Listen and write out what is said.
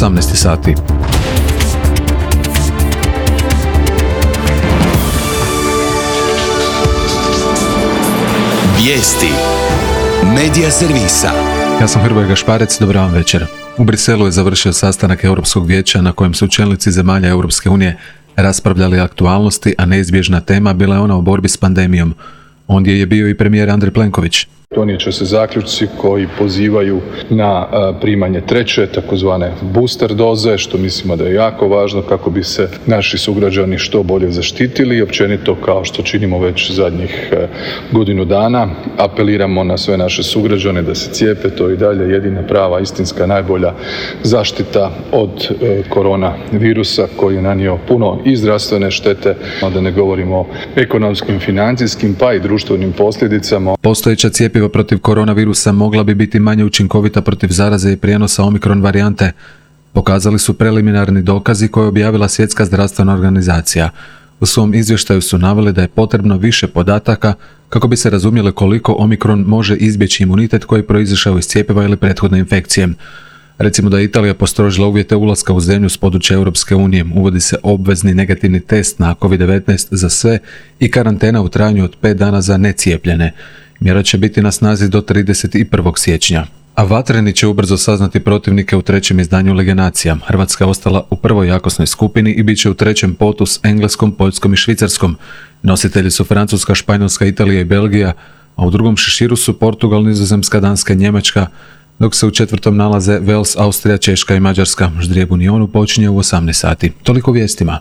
18 sati. Vijesti Medija servisa. Ja sam Hrvoje Gašparec, dobar vam večer. U Briselu je završio sastanak Europskog vijeća na kojem su čelnici zemalja Europske unije raspravljali aktualnosti, a neizbježna tema bila je ona o borbi s pandemijom. Ondje je bio i premijer Andrej Plenković. Donijet će se zaključci koji pozivaju na primanje treće, takozvane booster doze, što mislimo da je jako važno kako bi se naši sugrađani što bolje zaštitili i općenito, kao što činimo već zadnjih godinu dana, apeliramo na sve naše sugrađane da se cijepe. To je i dalje jedina prava, istinska, najbolja zaštita od koronavirusa koji je nanio puno i zdravstvene štete, da ne govorimo o ekonomskim, financijskim pa i društvenim posljedicama. Postojeća cjepiva protiv koronavirusa mogla bi biti manje učinkovita protiv zaraze i prijenosa omikron varijante, pokazali su preliminarni dokazi koje je objavila Svjetska zdravstvena organizacija. U svom izvještaju su naveli da je potrebno više podataka kako bi se razumjele koliko omikron može izbjeći imunitet koji je proizašao iz cjepiva ili prethodne infekcije. Recimo da je Italija postrožila uvjete ulaska u zemlju s područja Europske unije, uvodi se obvezni negativni test na COVID-19 za sve i karantena u trajanju od 5 dana za necijepljene. Mjera će biti na snazi do 31. siječnja. A Vatreni će ubrzo saznati protivnike u trećem izdanju Lige nacija. Hrvatska je ostala u prvoj jakosnoj skupini i bit će u trećem potu s Engleskom, Poljskom i Švicarskom. Nositelji su Francuska, Španjolska, Italija i Belgija, a u drugom šeširu su Portugal, Nizozemska, Danska i Njemačka, dok se u četvrtom nalaze Wales, Austrija, Češka i Mađarska. Ždrijeb Unionu počinje u 18 sati. Toliko vijestima.